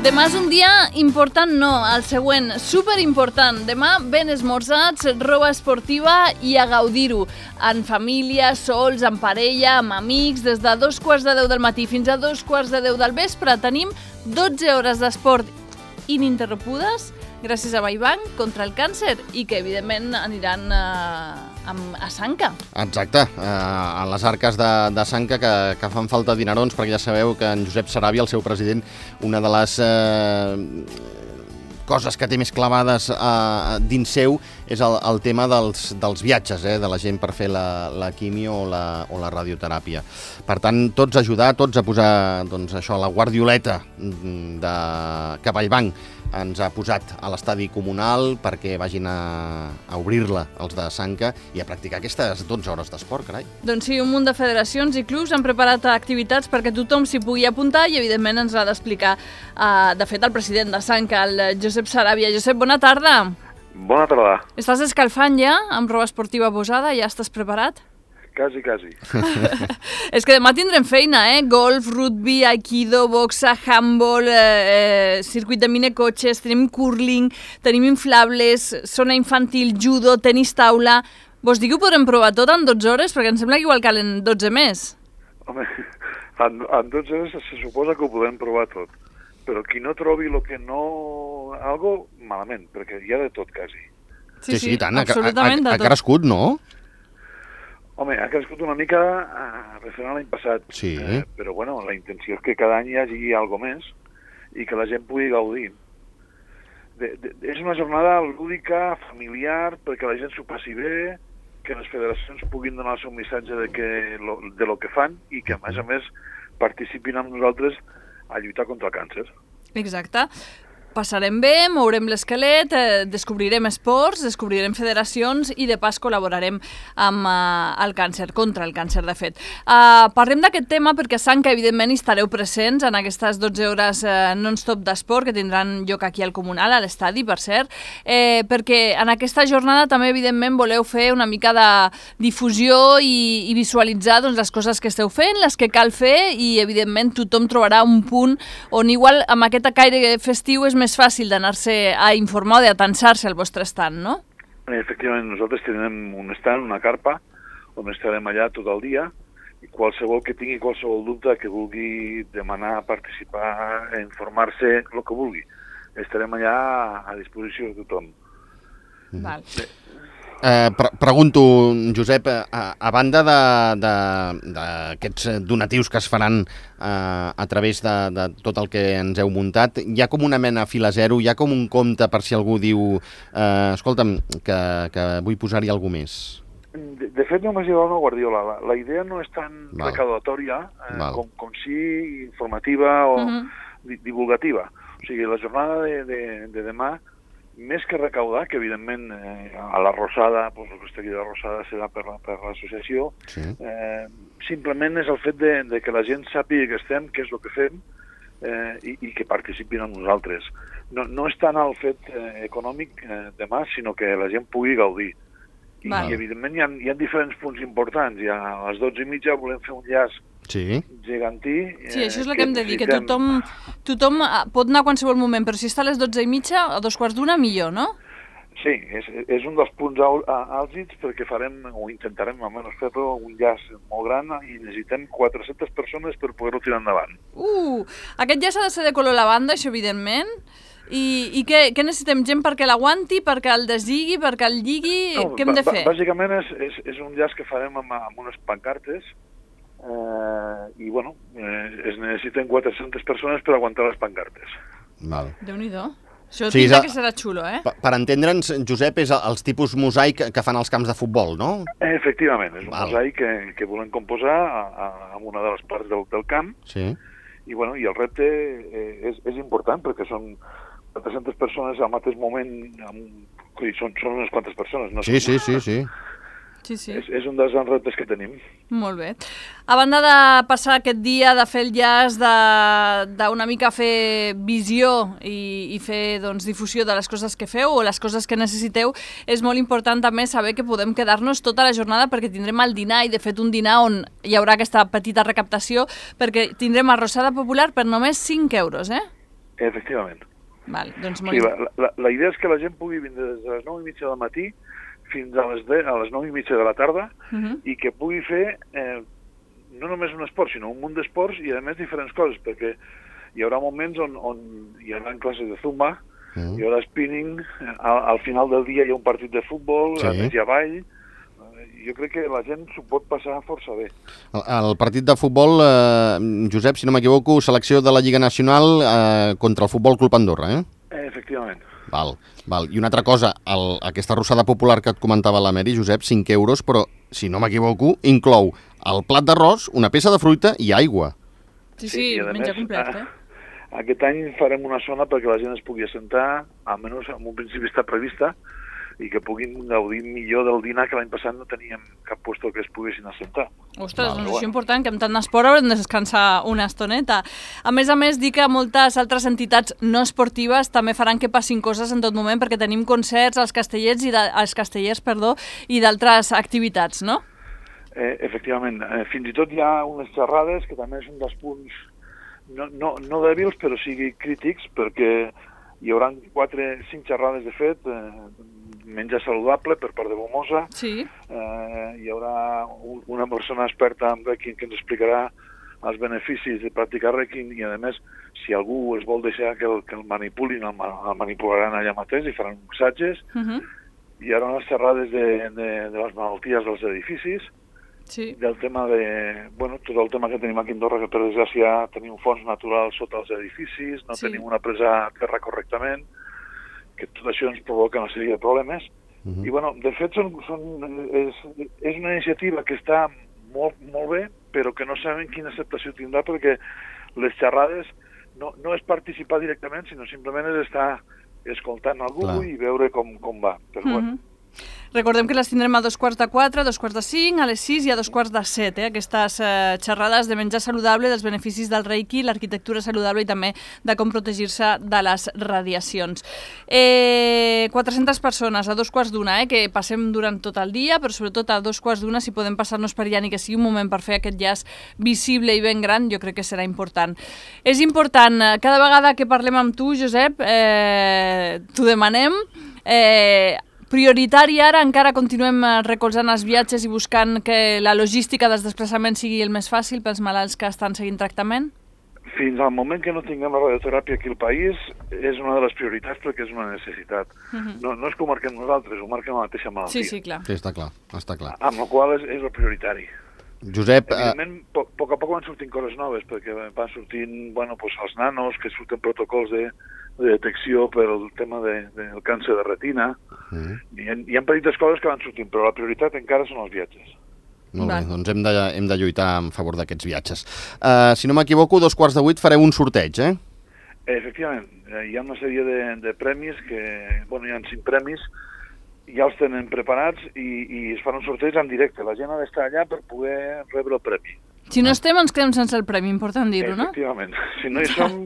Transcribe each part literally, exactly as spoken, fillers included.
Demà és un dia important, no, el següent, superimportant. Demà ben esmorzats, roba esportiva i a gaudir-ho. En família, sols, en parella, amb amics, des de dos quarts de deu del matí fins a dos quarts de deu del vespre tenim dotze hores d'esport ininterrompudes gràcies a Baibanc contra el càncer i que evidentment aniran eh, a Sanca. Exacte, eh, a les arques de, de Sanca que, que fan falta dinerons, perquè ja sabeu que en Josep Sarabia, el seu president, una de les eh, coses que té més clavades eh, dins seu és el, el tema dels, dels viatges, eh, de la gent per fer la, la quimio o la, o la radioteràpia. Per tant, tots a ajudar, tots a posar doncs, això, la guardioleta de, que Baibanc ens ha posat a l'estadi comunal perquè vagin a, a obrir-la els de Sanca i a practicar aquestes dotze hores d'esport, carai. Doncs sí, un munt de federacions i clubs han preparat activitats perquè tothom s'hi pugui apuntar i evidentment ens l'ha d'explicar, uh, de fet, el president de Sanca, el Josep Sarabia. Josep, bona tarda. Bona tarda. Estàs escalfant ja amb roba esportiva posada? Ja estàs preparat? Quasi, quasi. És que demà tindrem feina, eh? Golf, rugby, aikido, boxa, handball, eh, circuit de minecotxes, tenim curling, tenim inflables, zona infantil, judo, tenis taula... Vols dir que ho podrem provar tot en dotze hores? Perquè em sembla que igual calen dotze més. Home, en, en dotze hores se suposa que ho podem provar tot. Però qui no trobi el que no... algo, malament, perquè hi ha de tot, quasi. Sí, sí, sí tant, absolutament ha, ha, ha, ha crescut, no? Home, ha crescut una mica eh, referent a l'any passat, sí. eh, però bueno, la intenció és que cada any hi hagi alguna més i que la gent pugui gaudir. De, de, és una jornada lúdica, familiar, perquè la gent s'ho passi bé, que les federacions puguin donar el seu missatge de, que, lo, de lo que fan i que, a més a més, participin amb nosaltres a lluitar contra el càncer. Exacte. Passarem bé, mourem l'esquelet, eh, descobrirem esports, descobrirem federacions i de pas col·laborarem amb eh, el càncer, contra el càncer, de fet. Uh, parlem d'aquest tema perquè a Sanca, evidentment, hi estareu presents en aquestes dotze hores eh, non-stop d'esport que tindran lloc aquí al Comunal, a l'estadi, per cert, eh, perquè en aquesta jornada també, evidentment, voleu fer una mica de difusió i, i visualitzar doncs, les coses que esteu fent, les que cal fer i, evidentment, tothom trobarà un punt on igual amb aquest caire festiu és més fàcil d'anar-se a informar o d'atansar-se al vostre stand, no? Efectivament, nosaltres tenim un stand, una carpa, on estarem allà tot el dia i qualsevol que tingui qualsevol dubte que vulgui demanar, participar, informar-se, el que vulgui. Estarem allà a disposició de tothom. Val. Eh, pre pregunto, Josep, a, a banda d'aquests donatius que es faran eh, a través de, de tot el que ens heu muntat, hi ha com una mena fila zero, hi ha com un compte per si algú diu eh, escolta'm, que, que vull posar-hi alguna més? De, de fet, només hi ha una guardiola. La, la idea no és tan Val. recaudatòria eh, com, com sí informativa o uh -huh. divulgativa. O sigui, la jornada de, de, de demà, més que recaudar, que evidentment eh, a la Rosada, doncs el que estigui de Rosada serà per l'associació, la, sí. eh, simplement és el fet de, de que la gent sàpiga que estem, què és el que fem, eh, i, i que participin amb nosaltres. No, no és tant el fet eh, econòmic eh, demà, sinó que la gent pugui gaudir. I, i evidentment hi ha, hi ha diferents punts importants. I a les dotze i mitja volem fer un llaç sí. gegantí. Sí, això és el que, que hem de dir, que tothom, tothom pot anar a qualsevol moment, però si està a les dotze i mitja, a dos quarts d'una, millor, no? Sí, és, és un dels punts àlgids perquè farem, o intentarem almenys fer-lo, un llaç molt gran i necessitem quatre-centes persones per poder-ho tirar endavant. Uh, aquest llaç ha de ser de color lavanda, això evidentment. I, i què, què necessitem? Gent perquè l'aguanti, perquè el deslligui, perquè el lligui? No, què hem de fer? Bàsicament és, és, és un llaç que farem amb, amb unes pancartes eh, i, bueno, eh, es necessiten quatre-centes persones per aguantar les pancartes. Val. Déu-n'hi-do. Això sí, pinta que serà xulo, eh? Per, per entendre'ns, Josep, és els tipus mosaic que fan als camps de futbol, no? Efectivament, és un Val. mosaic que, que volem composar a, a, en una de les parts del, del camp. Sí. I, bueno, i el repte eh, és, és important perquè són quatre-centes persones al mateix moment, amb... són, són unes quantes persones, no? Sí, sí, sí, sí. Sí, sí. És, és un dels grans reptes que tenim. Molt bé. A banda de passar aquest dia, de fer el llaç, d'una mica fer visió i, i fer doncs, difusió de les coses que feu o les coses que necessiteu, és molt important també saber que podem quedar-nos tota la jornada perquè tindrem el dinar, i de fet un dinar on hi haurà aquesta petita recaptació, perquè tindrem arrossada popular per només cinc euros, eh? Efectivament. Val, doncs molt... Sí, la, la, la idea és que la gent pugui vindre des de les nou i mitja del matí fins a les, de, a les nou i mitja de la tarda uh -huh. i que pugui fer eh, no només un esport, sinó un munt d'esports i, a més, diferents coses, perquè hi haurà moments on, on hi haurà classes de zumba, uh -huh. hi haurà spinning, al, al final del dia hi ha un partit de futbol, sí. a més hi ha ball. Jo crec que la gent s'ho pot passar força bé. El, el partit de futbol, eh, Josep, si no m'equivoco, selecció de la Lliga Nacional eh, contra el Futbol Club Andorra, eh? eh efectivament. Val, val. I una altra cosa, el, aquesta arrossada popular que et comentava la Mary, Josep, cinc euros, però, si no m'equivoco, inclou el plat d'arròs, una peça de fruita i aigua. Sí, sí, sí menja complet, eh? Aquest any farem una zona perquè la gent es pugui assentar, almenys en un principi està prevista, i que puguin gaudir millor del dinar, que l'any passat no teníem cap lloc que es poguessin assentar. Ostres, doncs això és important, que amb tant d'esport haurem de descansar una estoneta. A més a més, dic que moltes altres entitats no esportives també faran que passin coses en tot moment, perquè tenim concerts als castellers i de, als castellers, perdó, i d'altres activitats, no? Eh, efectivament. Eh, fins i tot hi ha unes xerrades que també són dels punts no, no, no dèbils, però sigui crítics, perquè hi haurà quatre, cinc xerrades, de fet, eh, menjar saludable per part de Bomosa. Sí. Eh, hi haurà un, una persona experta en Requiem que ens explicarà els beneficis de practicar Requiem i, a més, si algú es vol deixar que el, que el manipulin, el, el manipularan allà mateix i faran massatges. Uh -huh. Hi haurà unes xerrades de, de, de les malalties dels edificis, sí. del tema de... Bueno, tot el tema que tenim aquí a Andorra, que per desgràcia tenim fons naturals sota els edificis, no sí. tenim una presa a terra correctament, que tot això ens provoca una sèrie de problemes. Uh-huh. I, bueno, de fet, són, són, és, és una iniciativa que està molt, molt bé, però que no sabem quina acceptació tindrà, perquè les xerrades no, no és participar directament, sinó simplement és estar escoltant algú Clar. i veure com, com va. Però, uh-huh. bueno, recordem que les tindrem a dos quarts de quatre, a dos quarts de cinc, a les sis i a dos quarts de set, eh? Aquestes eh, xerrades de menjar saludable, dels beneficis del Reiki, l'arquitectura saludable i també de com protegir-se de les radiacions. Eh, quatre-centes persones a dos quarts d'una, eh? Que passem durant tot el dia, però sobretot a dos quarts d'una, si podem passar-nos per allà ni que sigui un moment per fer aquest llaç visible i ben gran, jo crec que serà important. És important, cada vegada que parlem amb tu, Josep, eh, t'ho demanem, eh, prioritari ara, encara continuem recolzant els viatges i buscant que la logística dels desplaçaments sigui el més fàcil pels malalts que estan seguint tractament? Fins al moment que no tinguem la radioteràpia aquí al país, és una de les prioritats perquè és una necessitat. Uh-huh. no, no és que ho marquem nosaltres, ho marquem la mateixa malaltia. Sí, sí, clar. Sí, està clar, està clar. Amb la qual és, és el prioritari. Josep... Evidentment, a poc a poc van sortint coses noves, perquè van sortint, bueno, pues, els nanos, que surten protocols de, de detecció per el tema de, del càncer de retina. Uh-huh. Hi ha, hi ha petites coses que van sortint, però la prioritat encara són els viatges. Molt bé, doncs hem de, hem de lluitar en favor d'aquests viatges. Uh, si no m'equivoco, dos quarts de vuit fareu un sorteig, eh? Efectivament, hi ha una sèrie de, de premis que, bueno, hi ha cinc premis, ja els tenen preparats i, i es fan un sorteig en directe. La gent ha d'estar allà per poder rebre el premi. Si no estem, ens quedem sense el premi, important dir-ho, no? Efectivament. Si no hi som,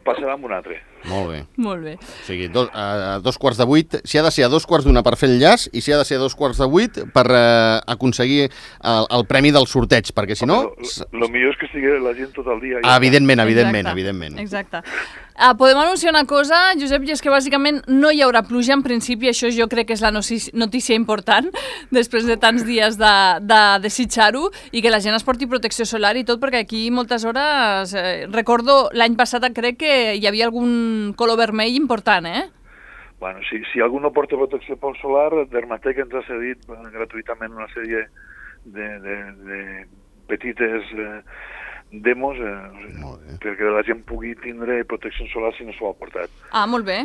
passarà amb un altre. Molt bé. Molt bé. O sigui, do, a, a dos quarts de vuit, si ha de ser a dos quarts d'una per fer el llaç i si ha de ser a dos quarts de vuit per uh, aconseguir el, el premi del sorteig, perquè si no... El millor és que estigui la gent tot el dia. Ah, evidentment, evidentment, Exacte. evidentment. Exacte. Uh, podem anunciar una cosa, Josep, i és que bàsicament no hi haurà pluja en principi, això jo crec que és la notícia important, després de tants dies de, de desitjar-ho, i que la gent es porti protecció solar i tot, perquè aquí moltes hores, eh, recordo l'any passat crec que hi havia algun color vermell important, eh? Bueno, si, si algú no porta protecció solar, Dermatec ens ha cedit gratuïtament una sèrie de, de, de petites... Eh, demos, eh, perquè la gent pugui tindre protecció solar si no s'ho ha portat. Ah, molt bé.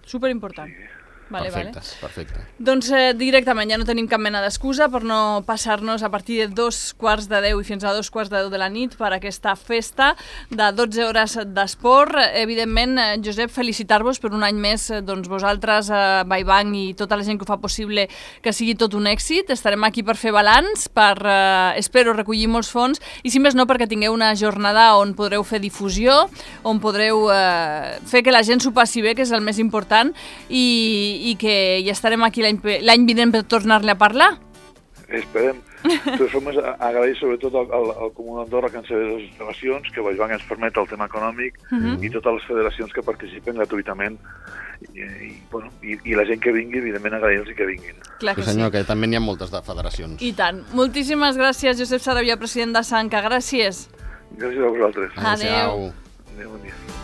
Superimportant. Sí. Vale, perfecte, vale. perfecte. Doncs eh, directament ja no tenim cap mena d'excusa per no passar-nos a partir de dos quarts de deu i fins a dos quarts de deu de la nit per aquesta festa de dotze hores d'esport. Evidentment, eh, Josep, felicitar-vos per un any més, eh, doncs vosaltres, eh, Baibanc i tota la gent que ho fa possible que sigui tot un èxit. Estarem aquí per fer balanç, per, eh, espero, recollir molts fons i, si més no, perquè tingueu una jornada on podreu fer difusió, on podreu eh, fer que la gent s'ho passi bé, que és el més important, i i que ja estarem aquí l'any vinent per tornar-li a parlar. Esperem. De totes formes, agrair sobretot al, al, al Comú d'Andorra que ens cedeix les instal·lacions, que Vallbanc ens permet el tema econòmic uh -huh. i totes les federacions que participen gratuïtament i, i, bueno, i, i la gent que vingui, evidentment agrair-los que vinguin. Clar que sí, senyor, sí. que també n'hi ha moltes de federacions. I tant. Moltíssimes gràcies, Josep Saravia, president de Sanca. Gràcies. Gràcies a vosaltres. Adéu. Adéu, bon dia.